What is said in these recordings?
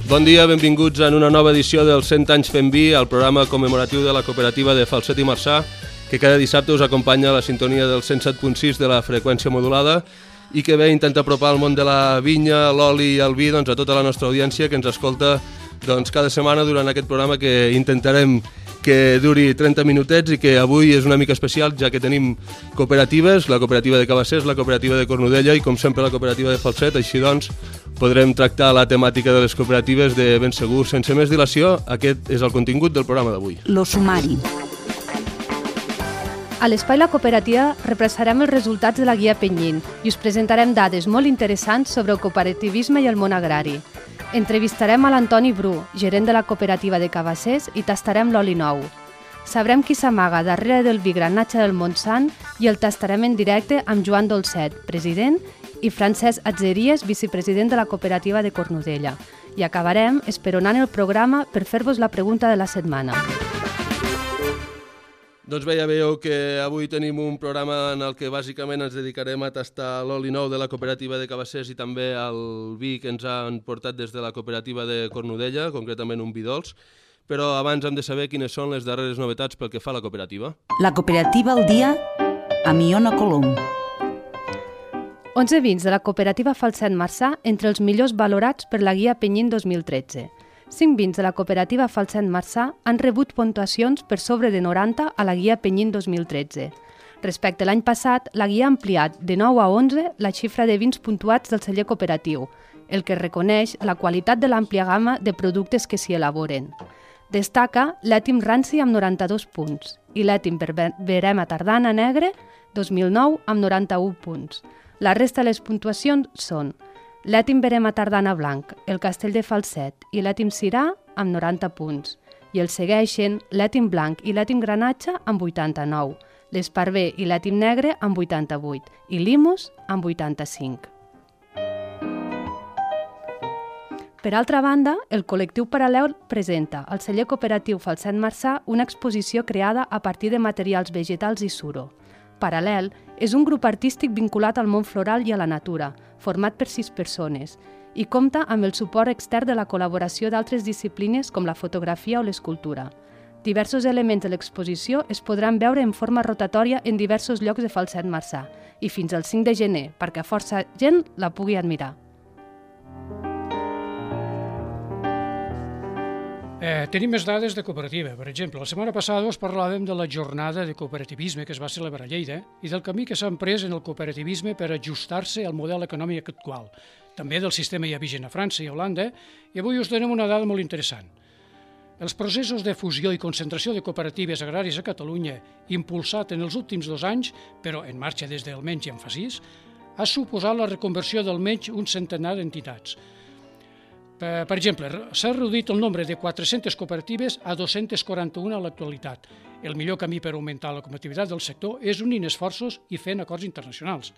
Bon dia, benvinguts en una nova edició del 100 anys fent vi, el programa commemoratiu de la cooperativa de Falset i Marçà, que cada dissabte us acompanya a la sintonia del 107.6 de la freqüència modulada i que ve intenta apropar el món de la vinya, l'oli i el vi a tota la nostra audiència que ens escolta cada setmana durant aquest programa que intentarem que duri 30 minutets i que avui és una mica especial ja que tenim cooperatives, la cooperativa de Cabassers, la cooperativa de Cornudella i com sempre la cooperativa de Falset, així doncs podrem tractar la temàtica de les cooperatives de ben segur. Sense més dilació, aquest és el contingut del programa d'avui. Lo sumari. A l'Espai La Cooperativa repassarem els resultats de la guia Penyín i us presentarem dades molt interessants sobre el cooperativisme i el món agrari. Entrevistarem a l'Antoni Bru, gerent de la cooperativa de Cabassers, i tastarem l'oli nou. Sabrem qui s'amaga darrere del vi Granatge del Montsant i el tastarem en directe amb Joan Dolcet, president, i Francesc Atzeries, vicepresident de la cooperativa de Cornudella. I acabarem esperonant el programa per fer-vos la pregunta de la setmana. Doncs bé, ja veieu que avui tenim un programa en el que bàsicament ens dedicarem a tastar l'oli nou de la cooperativa de Cabassers i també el vi que ens han portat des de la cooperativa de Cornudella, concretament un vi dolç. Però abans hem de saber quines són les darreres novetats pel que fa a la cooperativa. La cooperativa al dia amb Iona Colom. 11 vins de la cooperativa Falset Marçà entre els millors valorats per la guia Penyín 2013. 5 vins de la cooperativa Falset Marçà han rebut puntuacions per sobre de 90 a la guia Penyín 2013. Respecte a l'any passat, la guia ha ampliat de 9 a 11 la xifra de vins puntuats del celler cooperatiu, el que reconeix la qualitat de l'àmplia gamma de productes que s'hi elaboren. Destaca l'Ètim Ranci amb 92 punts i l'Ètim Verema Tardana Negre 2009 amb 91 punts. La resta de les puntuacions són l'Ètim Verema Tardana Blanc, el Castell de Falset i l'Ètim Sirà amb 90 punts. I el segueixen l'Ètim Blanc i l'Ètim Granatge amb 89, l'Esparver i l'Ètim Negre amb 88 i l'Imus amb 85. Per altra banda, el col·lectiu Paral·lel presenta al celler cooperatiu Falset Marçà una exposició creada a partir de materials vegetals i suro. Paral·lel és un grup artístic vinculat al món floral i a la natura, format per 6 persones, i compta amb el suport extern de la col·laboració d'altres disciplines com la fotografia o l'escultura. Diversos elements de l'exposició es podran veure en forma rotatòria en diversos llocs de Falset Marçà i fins al 5 de gener perquè força gent la pugui admirar. Tenim més dades de cooperativa. Per exemple, la setmana passada us parlàvem de la jornada de cooperativisme que es va celebrar a Lleida i del camí que s'ha emprès en el cooperativisme per ajustar-se al model econòmic actual, també del sistema ja vigent a França i a Holanda, i avui us donem una dada molt interessant. Els processos de fusió i concentració de cooperatives agràries a Catalunya, impulsat en els últims 2 anys, però en marxa des d'almenys ja en fa 6, ha suposat la reconversió d'almenys un centenar d'entitats. Per exemple, s'ha reduït el nombre de 400 cooperatives a 241 a l'actualitat. El millor camí per augmentar la competitivitat del sector és unint esforços i fent acords internacionals.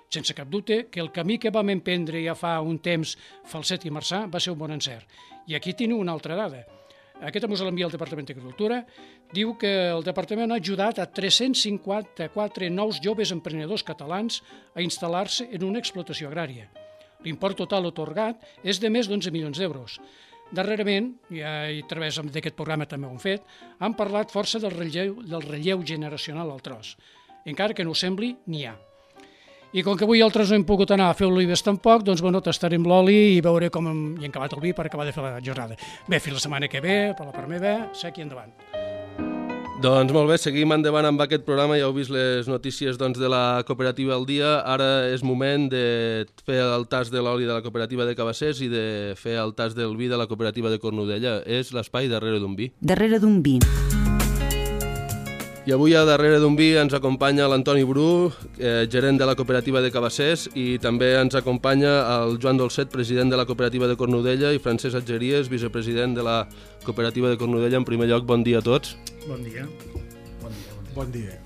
Sense cap dubte que el camí que vam emprendre ja fa un temps Falset i Marçà va ser un bon encert. I aquí teniu una altra dada. Aquesta ens l'envia el Departament d'Agricultura. Diu que el Departament ha ajudat a 354 nous joves emprenedors catalans a instal·lar-se en una explotació agrària. L'import total atorgat és de més d'11 milions d'euros. Darrerament, i a través d'aquest programa també ho hem fet, han parlat força del relleu generacional al tros. Encara que no ho sembli, n'hi ha. I com que avui altres no hem pogut anar a fer olives tampoc, doncs tastarem l'oli i veure com hi hem acabat el vi per acabar de fer la jornada. Bé, fins la setmana que ve, per la part meva, sec i endavant. Doncs molt bé, seguim endavant amb aquest programa, ja heu vist les notícies de la cooperativa al dia, ara és moment de fer el tast de l'oli de la cooperativa de Cabassers i de fer el tast del vi de la cooperativa de Cornudella. És l'espai darrere d'un vi. Darrere d'un vi. I avui a darrere d'un vi ens acompanya l'Antoni Bru, gerent de la cooperativa de Cabassers, i també ens acompanya el Joan Dolcet, president de la cooperativa de Cornudella, i Francesc Atzeries, vicepresident de la cooperativa de Cornudella. En primer lloc, bon dia a tots. Bon dia. Bon dia.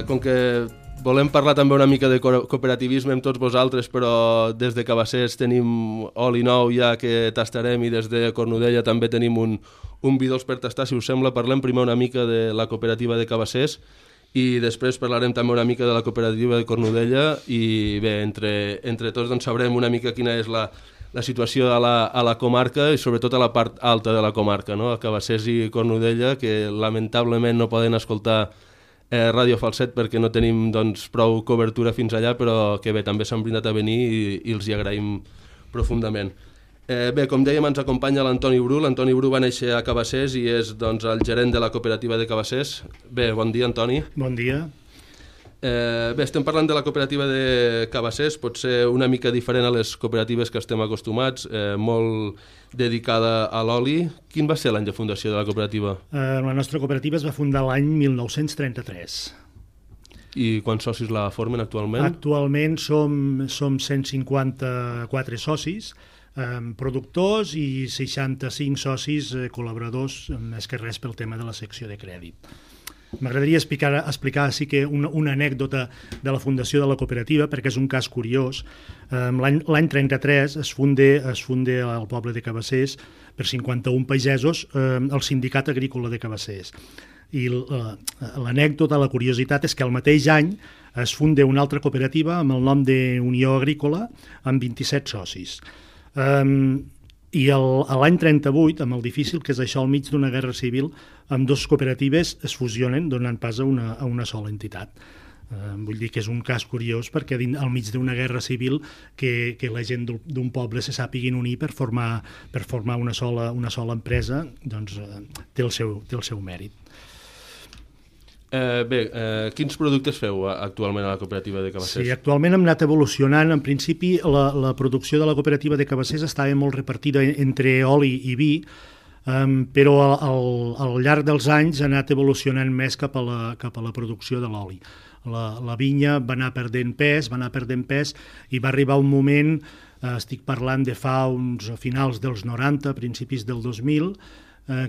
Com que volem parlar també una mica de cooperativisme amb tots vosaltres, però des de Cabassers tenim oli nou ja que tastarem i des de Cornudella també tenim un vi dolç per tastar. Si us sembla, parlem primer una mica de la cooperativa de Cabassers i després parlarem també una mica de la cooperativa de Cornudella i bé, entre tots doncs sabrem una mica quina és la la situació a la comarca i sobretot a la part alta de la comarca, no? A Cabassers i Cornudella, que lamentablement no poden escoltar Ràdio Falset perquè no tenim doncs, prou cobertura fins allà, però que bé, també s'han brindat a venir i els hi agraïm profundament. Bé, com dèiem, ens acompanya l'Antoni Bru. L'Antoni Bru va néixer a Cabassers i és doncs, el gerent de la cooperativa de Cabassers. Bé, bon dia, Antoni. Bon dia. Bé, estem parlant de la cooperativa de Cabassers, pot ser una mica diferent a les cooperatives que estem acostumats, molt dedicada a l'oli. Quin va ser l'any de fundació de la cooperativa? La nostra cooperativa es va fundar l'any 1933. I quants socis la formen actualment? Actualment som 154 socis, productors i 65 socis col·laboradors, més que res pel tema de la secció de crèdit. M'agradaria explicar sí que una anècdota de la fundació de la cooperativa, perquè és un cas curiós. L'any 33 es funda al poble de Cabassers per 51 pagesos el Sindicat Agrícola de Cabassers. I l'anècdota, la curiositat, és que el mateix any es funda una altra cooperativa amb el nom d'Unió Agrícola amb 27 socis. I l'any 38, amb el difícil que és això al mig d'una guerra civil, amb dues cooperatives es fusionen donant pas a una sola entitat. Vull dir que és un cas curiós perquè al mig d'una guerra civil que la gent d'un poble se sàpiguin unir per formar una sola empresa, doncs té el seu mèrit. Bé, quins productes feu actualment a la cooperativa de Cabassers? Sí, actualment hem anat evolucionant. En principi, la producció de la cooperativa de Cabassers estava molt repartida entre oli i vi, però al llarg dels anys ha anat evolucionant més cap a la producció de l'oli. La vinya va anar perdent pes i va arribar un moment, estic parlant de fa uns finals dels 90, principis del 2000,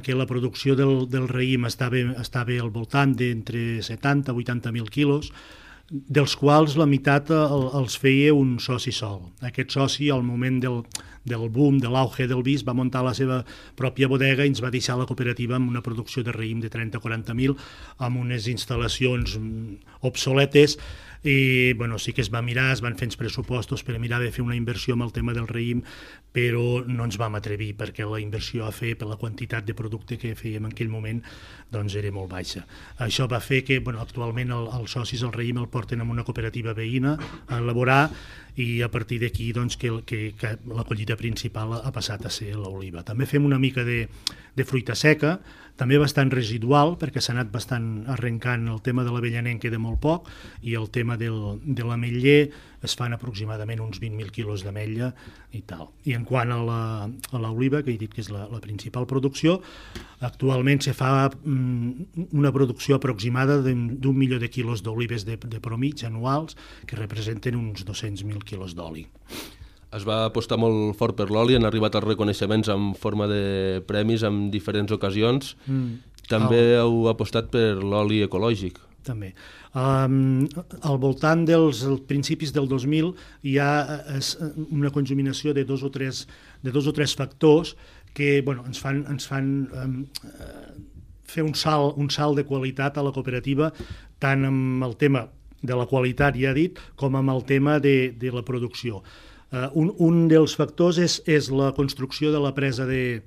que la producció del raïm estava al voltant d'entre 70 i 80.000 quilos, dels quals la meitat els feia un soci sol. Aquest soci, al moment del boom, de l'auge del vi, va muntar la seva pròpia bodega i ens va deixar la cooperativa amb una producció de raïm de 30 o 40.000, amb unes instal·lacions obsoletes, i sí que es va mirar, es van fer els pressupostos per mirar de fer una inversió amb el tema del raïm, però no ens vam atrevir perquè la inversió a fer per la quantitat de producte que fèiem en aquell moment doncs era molt baixa. Això va fer que actualment els socis el raïm el porten en una cooperativa veïna a elaborar i a partir d'aquí doncs, que la collita principal ha passat a ser l'oliva. També fem una mica de fruita seca, també bastant residual, perquè s'ha anat bastant arrencant el tema de l'avellaner en queda molt poc, i el tema de l'ametller es fan aproximadament uns 20.000 quilos d'ametlla i tal. I en quant a l'oliva, que he dit que és la principal producció, actualment se fa una producció aproximada d'1 milió de quilos d'olives de promig anuals, que representen uns 200.000 quilos d'oli. Es va apostar molt fort per l'oli, han arribat els reconeixements en forma de premis en diferents ocasions. També heu apostat per l'oli ecològic. També. Al voltant dels principis del 2000 hi ha una conjuminació de dos o tres factors que ens fan fer un salt de qualitat a la cooperativa, tant amb el tema de la qualitat, ja he dit, com amb el tema de la producció. Un dels factors és la construcció de la presa de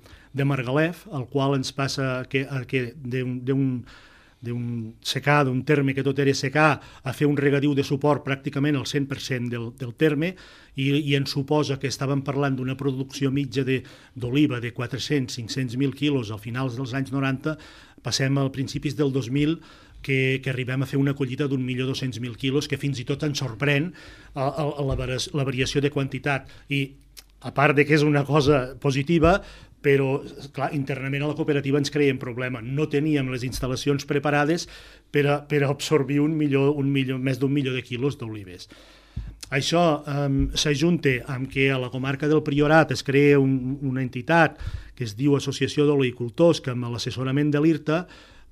Margalef, el qual ens passa que d'un secà, d'un terme que tot era secà, a fer un regadiu de suport pràcticament al 100% del terme, i ens suposa que estàvem parlant d'una producció mitja d'oliva de 400-500.000 quilos a finals dels anys 90, passem al principis del 2000 que arribem a fer una collita d'1.200.000 quilos, que fins i tot ens sorprèn la variació de quantitat. I a part de que és una cosa positiva, però clar, internament a la cooperativa ens creiem problema. No teníem les instal·lacions preparades per a absorbir més d'1 milió de quilos d'olives. Això s'ajunta amb que a la comarca del Priorat es crea una entitat que es diu Associació d'Oleicultors, que amb l'assessorament de l'IRTA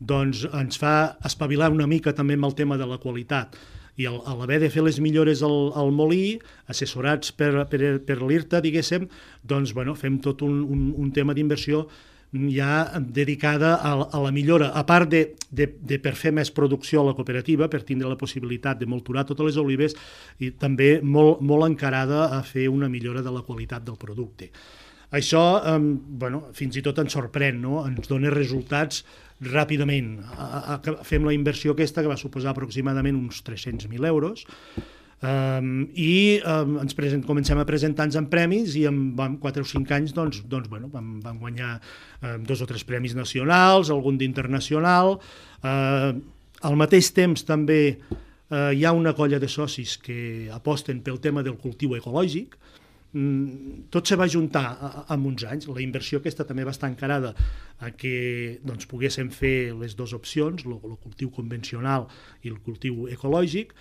doncs ens fa espavilar una mica també amb el tema de la qualitat. I a l'haver de fer les millores al molí, assessorats per l'IRTA, diguéssim, doncs fem tot un tema d'inversió ja dedicada a la millora, a part de per fer més producció a la cooperativa, per tindre la possibilitat de molturar totes les olives, i també molt encarada a fer una millora de la qualitat del producte. Això, fins i tot ens sorprèn, no? Ens dona resultats ràpidament. Fem la inversió aquesta, que va suposar aproximadament uns 300.000 euros, i ens comencem a presentar-nos en premis, i en 4 o 5 anys vam guanyar 2 o 3 premis nacionals, algun d'internacional. Al mateix temps també hi ha una colla de socis que aposten pel tema del cultiu ecològic. Tot se va juntar en uns anys. La inversió aquesta també va estar encarada a que poguéssim fer les dues opcions, el cultiu convencional i el cultiu ecològic.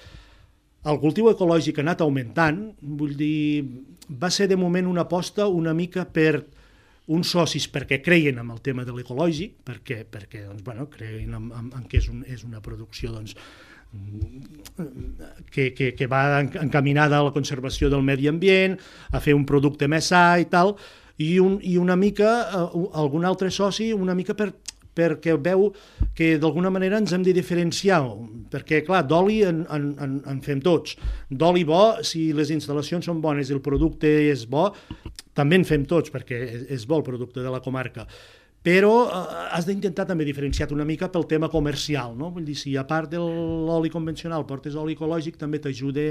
El cultiu ecològic ha anat augmentant, vull dir, va ser de moment una aposta una mica per uns socis perquè creien en el tema de l'ecològic, perquè creien en que és una producció que va encaminada a la conservació del medi ambient, a fer un producte més sa i tal, i una mica algun altre soci una mica perquè veu que d'alguna manera ens hem de diferenciar, perquè clar, d'oli en fem tots, d'oli bo, si les instal·lacions són bones i el producte és bo, també en fem tots, perquè és bo el producte de la comarca, però has d'intentar també diferenciar-te una mica pel tema comercial, no? Vull dir, si a part de l'oli convencional portes oli ecològic, també t'ajuda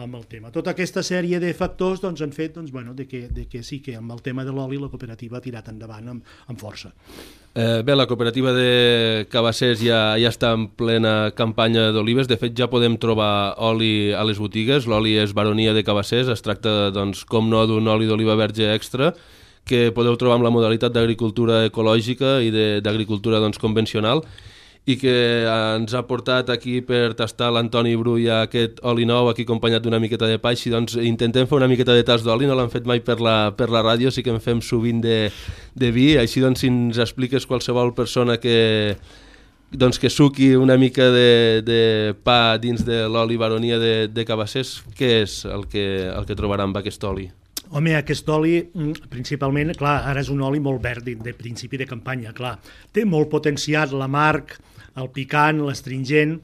amb el tema. Tota aquesta sèrie de factors han fet de que sí que amb el tema de l'oli la cooperativa ha tirat endavant amb força. Bé, la cooperativa de Cabassers ja està en plena campanya d'olives. De fet, ja podem trobar oli a les botigues. L'oli és Baronia de Cabassers. Es tracta, com no, d'un oli d'oliva verge extra que podeu trobar amb la modalitat d'agricultura ecològica i d'agricultura convencional, i que ens ha portat aquí per tastar l'Antoni Brull aquest oli nou, aquí acompanyat d'una miqueta de pa. Així intentem fer una miqueta de tast d'oli, no l'hem fet mai per la ràdio, sí que en fem sovint de vi. Així si ens expliques qualsevol persona que suqui una mica de pa dins de l'oli Baronia de Cabassers, què és el que trobarà amb aquest oli? Home, aquest oli, principalment, clar, ara és un oli molt verd de principi de campanya, clar. Té molt potenciat l'amarg, el picant, l'astringent,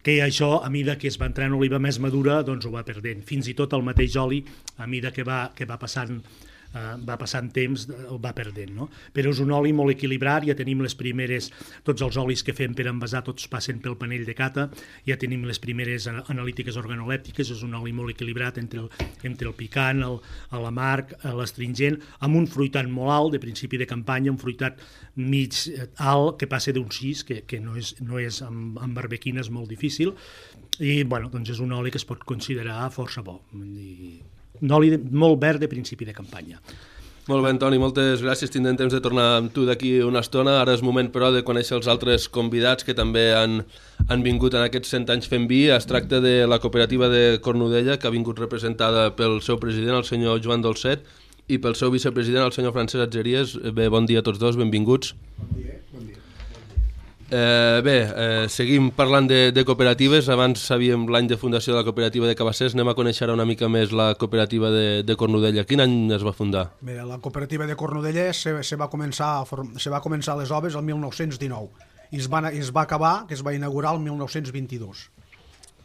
que això, a mida que es va entrar en oliva més madura, ho va perdent. Fins i tot el mateix oli, a mida que va passant temps, el va perdent, no? Però és un oli molt equilibrat, ja tenim les primeres, tots els olis que fem per envasar, tots passen pel panell de cata, ja tenim les primeres analítiques organolèptiques, és un oli molt equilibrat entre el picant, l'amarg, l'astringent, amb un fruitat molt alt, de principi de campanya, un fruitat mig alt, que passa d'un 6, que no és amb barbequina, és molt difícil, i és un oli que es pot considerar força bo, un oli molt verd de principi de campanya. Molt bé, Antoni, moltes gràcies. Tindrem temps de tornar amb tu d'aquí una estona. Ara és moment, però, de conèixer els altres convidats que també han vingut en aquests 100 anys fent vi. Es tracta de la cooperativa de Cornudella, que ha vingut representada pel seu president, el senyor Joan Dolcet, i pel seu vicepresident, el senyor Francesc Atgeries. Bé, bon dia a tots dos, benvinguts. Bon dia. Seguim parlant de cooperatives. Abans sabíem l'any de fundació de la cooperativa de Cabassers. Anem a conèixer una mica més la cooperativa de Cornudella. Quin any es va fundar? Mira, la cooperativa de Cornudella se va començar les obres el 1919 i es va acabar, que es va inaugurar el 1922.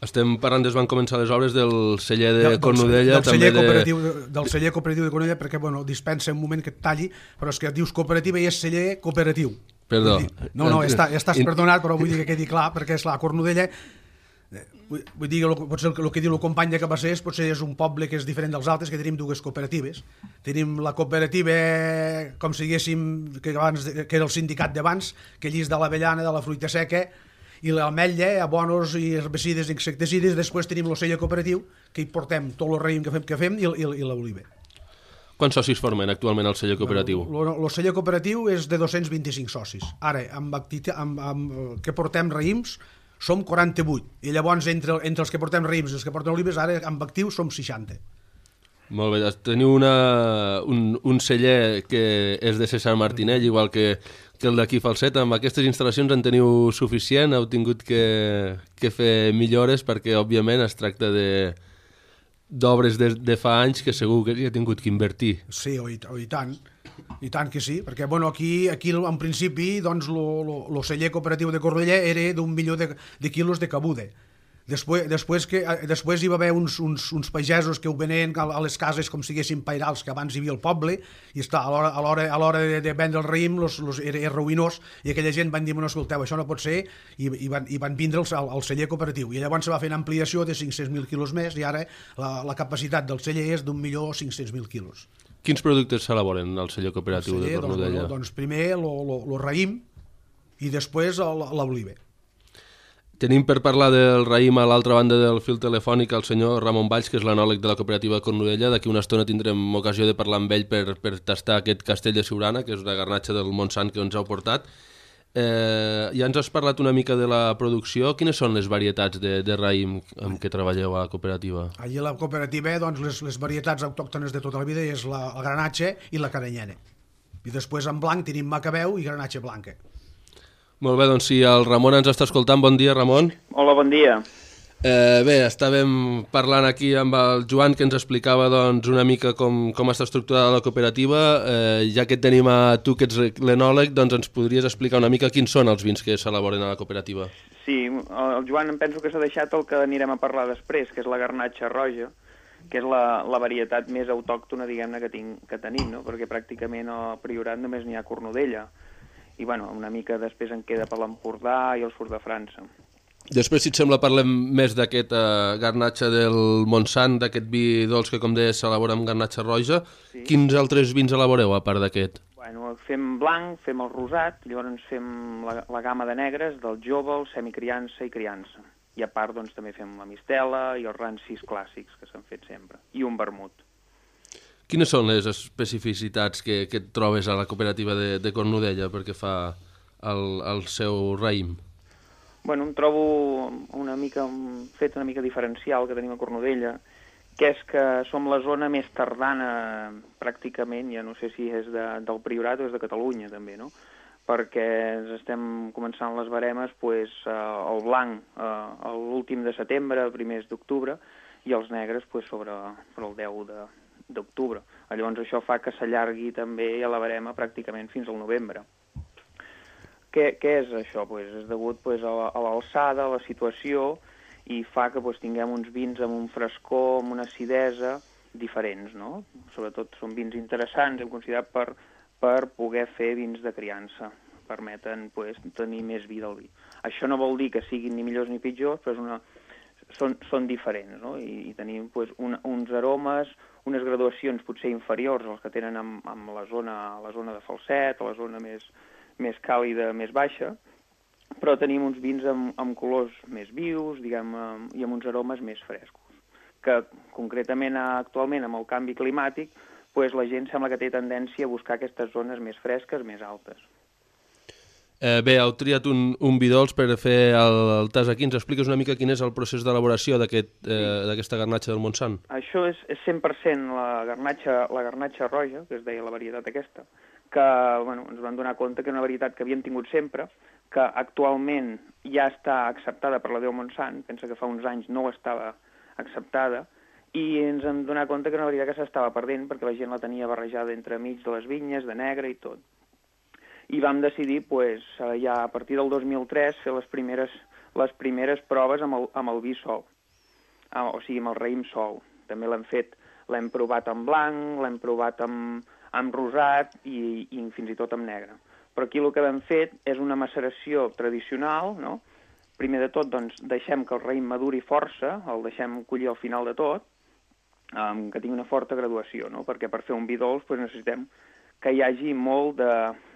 Estem parlant van començar les obres del celler de Cornudella. Del celler cooperatiu de Cornudella, perquè, dispensa un moment que et talli, però és que et dius cooperativa i és celler cooperatiu. Perdó. No, estàs perdonat, però vull dir que quedi clar, perquè és clar, Cornudella, vull dir, potser el que diu el company de Cabassers, potser és un poble que és diferent dels altres, que tenim dues cooperatives. Tenim la cooperativa, com si diguéssim, que era el sindicat d'abans, que llis de l'avellana, de la fruita seca, i l'ametlla, abonos i herbicides i insecticides. Després tenim el celler cooperatiu, que hi portem tot el raïm que fem i l'oliva. Quants socis formen actualment el celler cooperatiu? El celler cooperatiu és de 225 socis. Ara, amb que portem raïms, som 48. I llavors, entre els que portem raïms i els que porten olives, ara amb actiu som 60. Molt bé, teniu un celler que és de César Martinell, igual que el d'aquí Falset. Amb aquestes instal·lacions en teniu suficient? Heu tingut que fer millores perquè, òbviament, es tracta d'obres de fa anys que segur que hi ha tingut que invertir. Sí, i tant que sí, perquè bueno, aquí en principi doncs, el celler cooperatiu de Cornudella era d'1 milió de quilos de cabuda. Després hi va haver uns pagesos que ho venien a les cases com si haguessin pairals, que abans hi havia al poble, i a l'hora de vendre el raïm era ruïnós, i aquella gent van dir, no, escolteu, això no pot ser, i van vindre al celler cooperatiu, i llavors se va fer una ampliació de 500.000 quilos més, i ara la capacitat del celler és d'1.500.000 quilos. Quins productes s'elaboren al celler cooperatiu de Cornudella? Doncs primer el raïm i després l'oliva. Tenim per parlar del raïm a l'altra banda del fil telefònic el senyor Ramon Valls, que és l'anòleg de la cooperativa Cornudella. D'aquí una estona tindrem ocasió de parlar amb ell per tastar aquest castell de Siurana, que és una garnatxa del Montsant que ens heu portat. Ja ens has parlat una mica de la producció. Quines són les varietats de raïm amb què treballeu a la cooperativa? Allí a la cooperativa doncs, les varietats autòctones de tota la vida és la granatxa i la caranyena. I després en blanc tenim macabeu i granatxa blanca. Molt bé, doncs si el Ramon ens està escoltant, bon dia, Ramon. Hola, bon dia. Bé, estàvem parlant aquí amb el Joan, que ens explicava doncs, una mica com està estructurada la cooperativa. Ja que et tenim a tu, que ets l'enòleg, doncs ens podries explicar una mica quins són els vins que s'elaboren a la cooperativa. Sí, el Joan em penso que s'ha deixat el que anirem a parlar després, que és la garnatxa roja, que és la varietat més autòctona, diguem-ne, que tenim, no? Perquè pràcticament al Priorat només n'hi ha Cornudella. I bueno, una mica després en queda per l'Empordà i el sud de França. Després, si et sembla, parlem més d'aquesta garnatxa del Montsant, d'aquest vi dolç que, com deies, s'elabora amb garnatxa roja. Sí. Quins altres vins elaboreu, a part d'aquest? Bueno, fem blanc, fem el rosat, llavors fem la gamma de negres, del jove, el semicriança i criança. I a part, doncs, també fem la mistela i els rancis clàssics, que s'han fet sempre, i un vermut. Quines són les especificitats que et trobes a la cooperativa de Cornudella perquè fa el seu raïm? Bueno, em trobo fet una mica diferencial que tenim a Cornudella, que és que som la zona més tardana pràcticament, ja no sé si és del Priorat o és de Catalunya també, no? Perquè estem començant les baremes el blanc l'últim de setembre, el primers d'octubre, i els negres sobre el 10 d'octubre. Llavors això fa que s'allargui també a la barema pràcticament fins al novembre. Què és això? És degut a l'alçada, a la situació, i fa que tinguem uns vins amb un frescor, amb una acidesa diferents, no? Sobretot són vins interessants, hem considerat per poder fer vins de criança. Permeten tenir més vi del vi. Això no vol dir que siguin ni millors ni pitjors, però són diferents, no? I tenim uns aromes, unes graduacions potser inferiors als que tenen amb la zona de Falset, a la zona més càlida, més baixa, però tenim uns vins amb colors més vius, diguem, i amb uns aromes més frescos, que concretament actualment amb el canvi climàtic, la gent sembla que té tendència a buscar aquestes zones més fresques, més altes. Bé, heu triat un vi dolç per fer el tas aquí. Ens expliques una mica quin és el procés d'elaboració d'aquesta garnatxa del Montsant? Això és 100% la garnatxa roja, que es deia la varietat aquesta, que ens vam donar compte que és una varietat que havíem tingut sempre, que actualment ja està acceptada per la Déu Montsant, pensa que fa uns anys no estava acceptada, i ens hem donat compte que era una varietat que s'estava perdent perquè la gent la tenia barrejada entre mig de les vinyes, de negre i tot. I vam decidir, ja a partir del 2003, fer les primeres proves amb el vi sol, o sigui, amb el raïm sol. També l'hem provat en blanc, l'hem provat amb rosat i fins i tot amb negre. Però aquí el que hem fet és una maceració tradicional, no? Primer de tot, doncs, deixem que el raïm maduri força, el deixem collir al final de tot, que tingui una forta graduació, no? Perquè per fer un vi dolç necessitem que hi hagi molt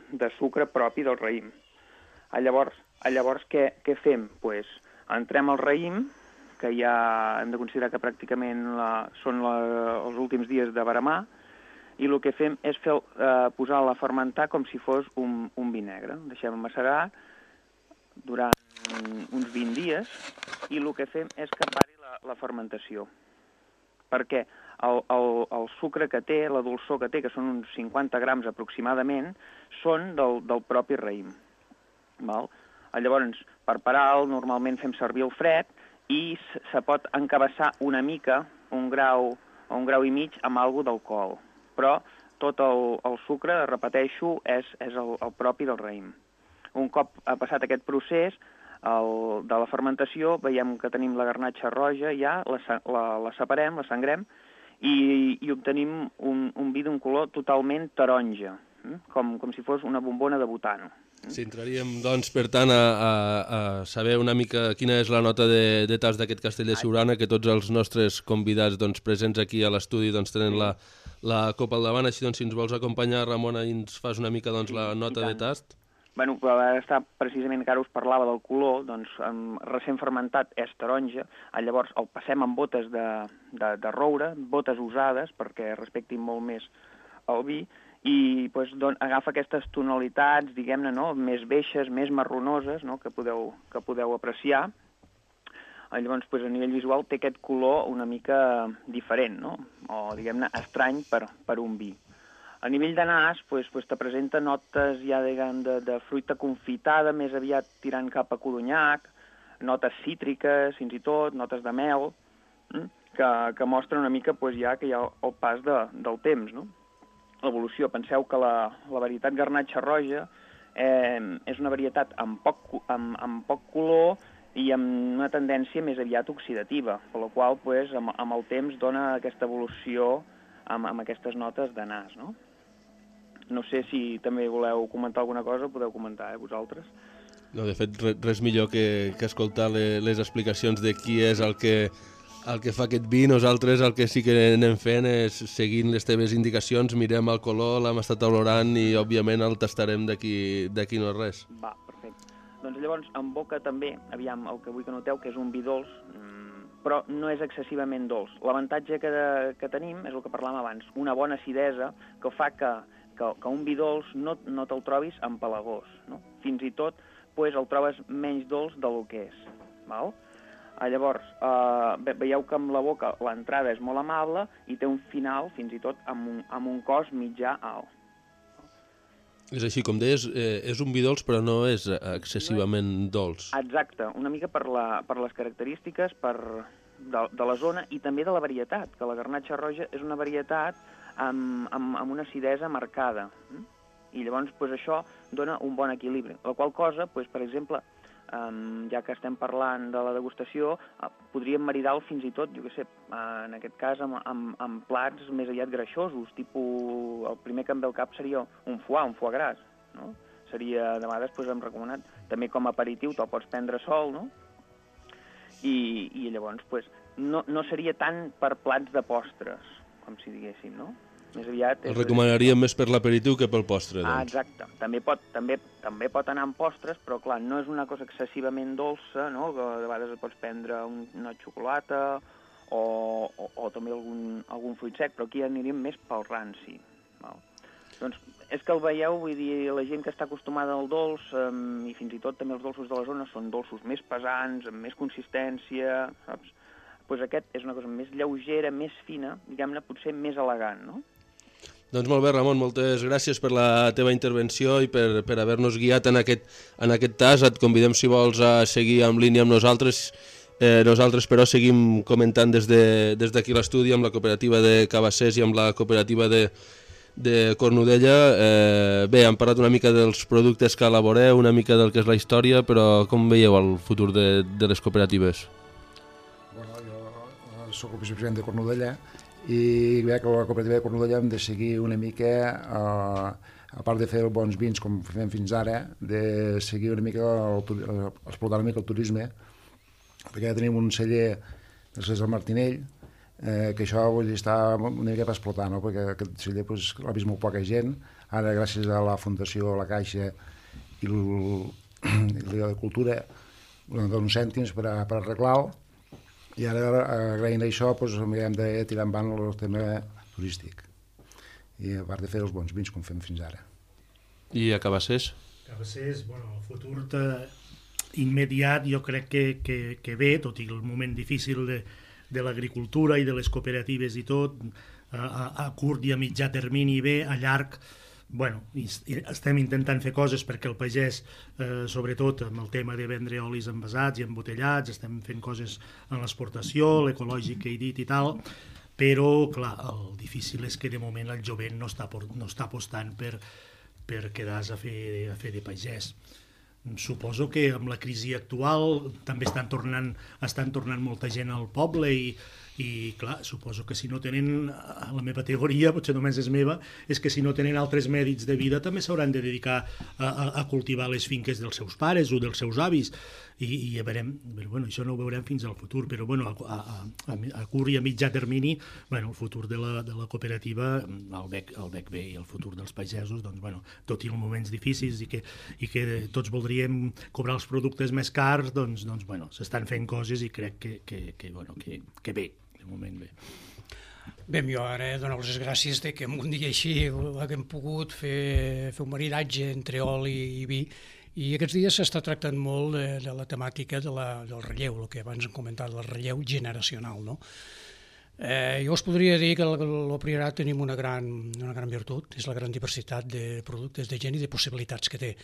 de sucre propi del raïm. Llavors què fem? Entrem al raïm, que ja hem de considerar que pràcticament són els últims dies de veremar, i el que fem és posar-la a fermentar com si fos un vi negre. Deixem macerar durant uns 20 dies i el que fem és que pari la fermentació. Perquè el sucre que té, la dolçor que té, que són uns 50 grams aproximadament, són del propi raïm. Val? Llavors, per parar-lo, normalment fem servir el fred i se pot encabassar una mica, un grau o un grau i mig, amb alguna d'alcohol. Però tot el sucre, repeteixo, és el propi del raïm. Un cop ha passat aquest procés de la fermentació, veiem que tenim la garnatxa roja ja, la separem, la sangrem, i obtenim un vi d'un color totalment taronja, com si fos una bombona de butano. Sí, entraríem, doncs, per tant, a saber una mica quina és la nota de tast d'aquest castell de Siurana, que tots els nostres convidats presents aquí a l'estudi tenen la copa al davant, així doncs, si ens vols acompanyar, Ramona, i ens fas una mica la nota de tast. Bueno, està precisament que ara us parlava del color, doncs recent fermentat és taronja, llavors el passem en botes de roure, botes usades perquè respectin molt més el vi, i agafa aquestes tonalitats, diguem-ne, més beixes, més marronoses, que podeu apreciar. Llavors, a nivell visual té aquest color una mica diferent, o diguem-ne estrany per un vi. A nivell de nas, te presenta notes ja de fruita confitada, més aviat tirant cap a codonyac, notes cítriques, fins i tot, notes de mel, que mostren una mica ja que hi ha el pas del temps, l'evolució. Penseu que la varietat garnatxa roja és una varietat amb poc color i amb una tendència més aviat oxidativa, per la qual amb el temps dona aquesta evolució amb aquestes notes de nas, No sé si també voleu comentar alguna cosa, podeu comentar, vosaltres. No, de fet, res millor que escoltar les explicacions de qui és el que fa aquest vi. Nosaltres el que sí que anem fent és, seguint les teves indicacions, mirem el color, l'hem estat olorant i, òbviament, el tastarem d'aquí no res. Va, perfecte. Doncs llavors, en boca també, aviam, el que vull que noteu, que és un vi dolç, però no és excessivament dolç. L'avantatge que tenim és el que parlàvem abans, una bona acidesa que fa que un vi dolç no te'l trobis empalagós, Fins i tot el trobes menys dolç del que és, val? Llavors, veieu que amb la boca l'entrada és molt amable i té un final, fins i tot, amb un cos mitjà alt. És així, com deies, és un vi dolç, però no és excessivament dolç. Exacte, una mica per les característiques de la zona i també de la varietat, que la garnatxa roja és una varietat amb una acidesa marcada. I llavors això dona un bon equilibri. La qual cosa, per exemple, ja que estem parlant de la degustació, podríem maridar-lo fins i tot, jo què sé, en aquest cas amb plats més aviat greixosos, tipus, el primer que em ve al cap seria un foie gras, Seria, de vegades, hem recomanat, també com a aperitiu te'l pots prendre sol, I llavors, no seria tant per plats de postres, com si diguéssim, Més aviat... El recomanaríem més per l'aperitiu que pel postre, doncs. Exacte. També pot anar amb postres, però clar, no és una cosa excessivament dolça, que de vegades et pots prendre una xocolata o també algun fruit sec, però aquí aniríem més pel ranci. Val? Doncs és que el veieu, vull dir, la gent que està acostumada al dolç, i fins i tot també els dolços de la zona, són dolços més pesants, amb més consistència, saps? Aquest és una cosa més lleugera, més fina, diguem-ne, potser més elegant, Doncs molt bé, Ramon, moltes gràcies per la teva intervenció i per haver-nos guiat en aquest tas. Et convidem, si vols, a seguir en línia amb nosaltres. Nosaltres, però, seguim comentant des d'aquí l'estudi amb la cooperativa de Cabassers i amb la cooperativa de Cornudella. Bé, hem parlat una mica dels productes que elaboreu, una mica del que és la història, però com veieu el futur de les cooperatives? Bueno, jo soc el vicepresident de Cornudella i veig que la cooperativa de Cornudella hem de seguir una mica, a part de fer bons vins com fem fins ara, de seguir una mica, explotar una mica el turisme, perquè ja tenim un celler del César Martinell, que això vull dir, està una mica per explotar, perquè aquest celler l'ha vist molt poca gent. Ara, gràcies a la Fundació La Caixa i la Cultura, donen uns cèntims per arreglar-lo, i ara, agraint això, hem de tirar endavant el tema turístic, i a part de fer els bons vins com fem fins ara. I a Cabassers? Cabassers, el futur immediat jo crec que ve, tot i el moment difícil de l'agricultura i de les cooperatives i tot, a curt i a mitjà termini bé, a llarg bueno, estem intentant fer coses perquè el pagès, sobretot amb el tema de vendre olis envasats i embotellats, estem fent coses en l'exportació, l'ecològic que he dit i tal, però, clar, el difícil és que de moment el jovent no està apostant per quedar-se a fer de pagès. Suposo que amb la crisi actual també estan tornant molta gent al poble i clar, suposo que si no tenen, la meva teoria, potser només és meva, és que si no tenen altres mèrits de vida també s'hauran de dedicar a cultivar les finques dels seus pares o dels seus avis i ja veurem, bueno, això no ho veurem fins al futur, però bueno, a curt i a mitjà termini, bueno, el futur de la cooperativa el veig bé, i el futur dels pagesos, doncs, bueno, tot i els moments difícils i que tots voldríem cobrar els productes més cars, doncs bueno, s'estan fent coses i crec que bé, de moment bé. Bé, jo ara dono les gràcies que en un dia així haguem pogut fer un maridatge entre oli i vi, i aquests dies s'està tractant molt de la temàtica del relleu, el que abans hem comentat, del relleu generacional, no? Jo us podria dir que el Priorat tenim una gran virtut, és la gran diversitat de productes, de gent i de possibilitats que té.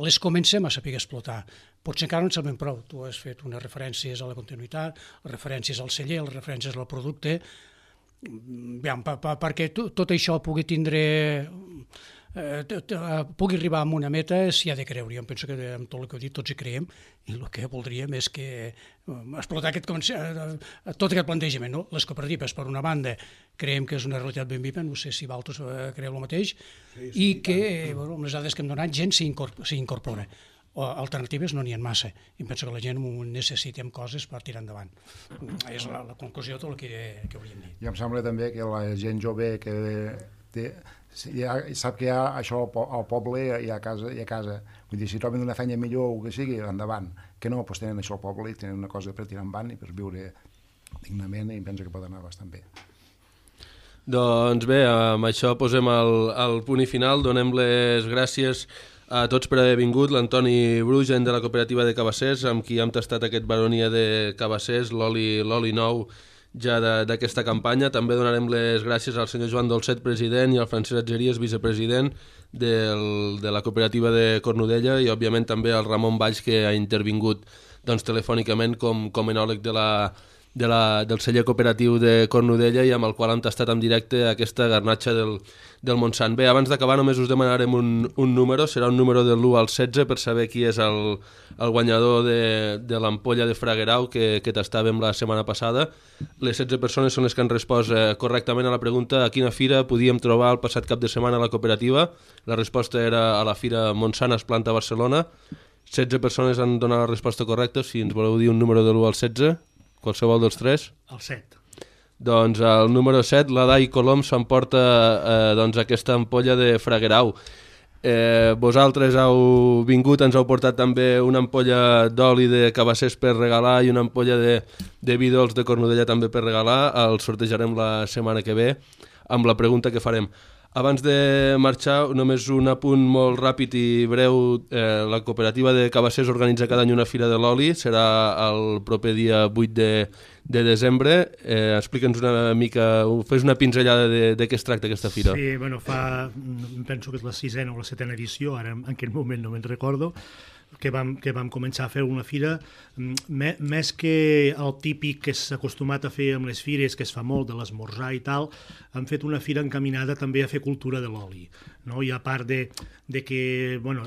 Les comencem a saber explotar. Potser encara no en sabem prou. Tu has fet unes referències a la continuïtat, referències al celler, les referències al producte, perquè tot això pugui arribar a una meta s'hi ha de creure. Jo penso que amb tot el que heu dit tots hi creiem i el que voldríem és que explotar tot aquest plantejament. No? Les cooperatives, per una banda, creiem que és una realitat ben viva, no sé si vosaltres creieu el mateix, i que amb les dades que hem donat gent s'hi incorpora. Alternatives no n'hi ha massa, i penso que la gent necessitem coses per tirar endavant. És la conclusió de tot el que hauríem dit. I em sembla també que la gent jove que sap que hi ha això al poble i a casa. Vull dir, si troben una feina millor o que sigui, endavant. Que no, doncs tenen això al poble i tenen una cosa per tirar endavant i per viure dignament, i penso que pot anar bastant bé. Doncs bé, amb això posem el punt i final. Donem les gràcies a tots per haver vingut. L'Antoni Brugen, de la cooperativa de Cabassers, amb qui hem tastat aquest Baronia de Cabassers, l'oli nou ja d'aquesta campanya. També donarem les gràcies al senyor Joan Dolcet, president, i al Francesc Atgeries, vicepresident de la cooperativa de Cornudella, i òbviament també al Ramon Valls, que ha intervingut telefònicament com enòleg del celler cooperatiu de Cornudella i amb el qual hem tastat en directe aquesta garnatxa del Montsant. Bé, abans d'acabar només us demanarem un número, serà un número de l'1 al 16 per saber qui és el guanyador de l'ampolla de Fraguerau que tastàvem la setmana passada. Les 16 persones són les que han respost correctament a la pregunta a quina fira podíem trobar el passat cap de setmana a la cooperativa. La resposta era a la fira Montsant Esplanta a Barcelona. 16 persones han donat la resposta correcta. Si ens voleu dir un número de l'1 al 16... Qualsevol dels tres? El 7. Doncs el número 7, la Dai Colom, s'emporta aquesta ampolla de Fraguerau. Vosaltres heu vingut, ens heu portat també una ampolla d'oli de Cabassers per regalar i una ampolla de vi dolç de Cornudella també per regalar. El sortejarem la setmana que ve amb la pregunta que farem. Abans de marxar, només un apunt molt ràpid i breu. La cooperativa de Cabassers organitza cada any una fira de l'oli, serà el proper dia 8 de desembre. Explica'ns una mica, fes una pinzellada de què es tracta aquesta fira. Sí, bueno, penso que és la 6ª o la 7ª edició, ara en aquest moment no me'n recordo, que vam començar a fer una fira, més que el típic que s'ha acostumat a fer amb les fires, que es fa molt, de l'esmorzar i tal, hem fet una fira encaminada també a fer cultura de l'oli, no? I a part de que, bueno,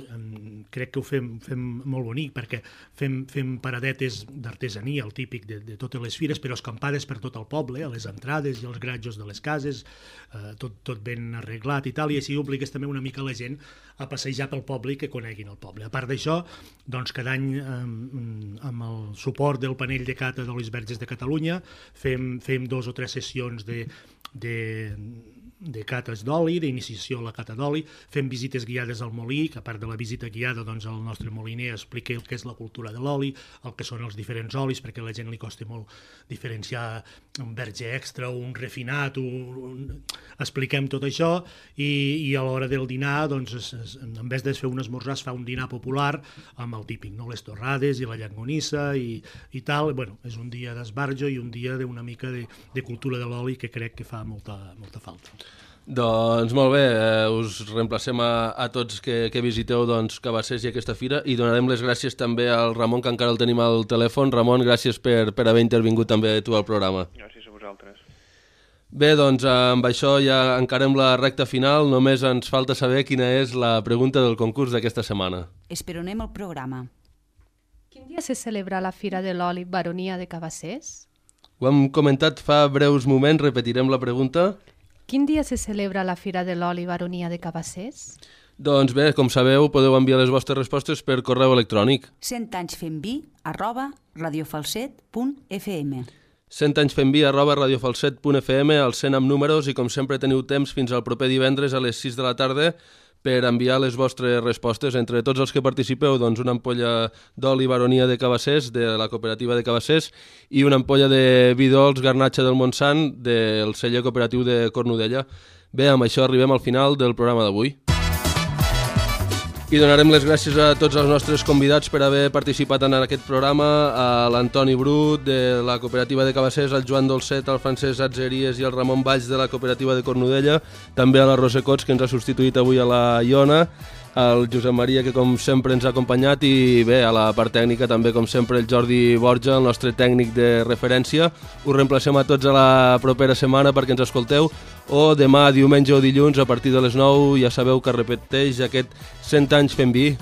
crec que ho fem molt bonic, perquè fem paradetes d'artesania, el típic de totes les fires, però escampades per tot el poble, a les entrades i als gratjos de les cases, tot ben arreglat i tal, i així obligues també una mica la gent a passejar pel poble i que coneguin el poble. A part d'això, doncs cada any amb el suport del panell de cata d'olis verges de Catalunya fem 2 o 3 sessions de cates d'oli, d'iniciació a la cata d'oli, fem visites guiades al molí, que a part de la visita guiada, doncs el nostre moliner explica el que és la cultura de l'oli, el que són els diferents olis, perquè a la gent li costa molt diferenciar un verge extra o un refinat, expliquem tot això, i a l'hora del dinar, doncs, en vez de fer un esmorzar, es fa un dinar popular amb el típic, no? Les torrades i la llangonissa i tal. Bueno, és un dia d'esbarjo i un dia d'una mica de cultura de l'oli que crec que fa molta falta. Doncs molt bé, us reemplacem a tots que visiteu Cabassers i aquesta fira i donarem les gràcies també al Ramon, que encara el tenim al telèfon. Ramon, gràcies per haver intervingut també tu al programa. Gràcies a vosaltres. Bé, doncs amb això ja encarem la recta final. Només ens falta saber quina és la pregunta del concurs d'aquesta setmana. Esperonem el programa. Quin dia se celebra la Fira de l'Oli Baronia de Cabassers? Ho hem comentat fa breus moments, repetirem la pregunta. Quin dia se celebra la Fira de l'Oli Baronia de Cabassers? Doncs bé, com sabeu, podeu enviar les vostres respostes per correu electrònic. 100anyfemvi@radiofalset.fm 100anyfemvi@radiofalset.fm, al 100 amb números, i com sempre teniu temps fins al proper divendres a les 6 de la tarda per enviar les vostres respostes. Entre tots els que participeu, doncs una ampolla d'oli Baronia de Cabassers, de la cooperativa de Cabassers, i una ampolla de vi dolç Garnatxa del Montsant, del celler cooperatiu de Cornudella. Bé, amb això arribem al final del programa d'avui. I donarem les gràcies a tots els nostres convidats per haver participat en aquest programa, a l'Antoni Brut, de la cooperativa de Cabassers, al Joan Dolcet, al Francesc Atzeries i al Ramon Valls, de la cooperativa de Cornudella, també a la Rosa Cots, que ens ha substituït avui a la Iona, al Josep Maria, que com sempre ens ha acompanyat, i bé, a la part tècnica també, com sempre, el Jordi Borja, el nostre tècnic de referència. Us reemplacem a tots a la propera setmana perquè ens escolteu, o demà, diumenge o dilluns, a partir de les 9, ja sabeu que repeteix aquest 100 anys fent vi.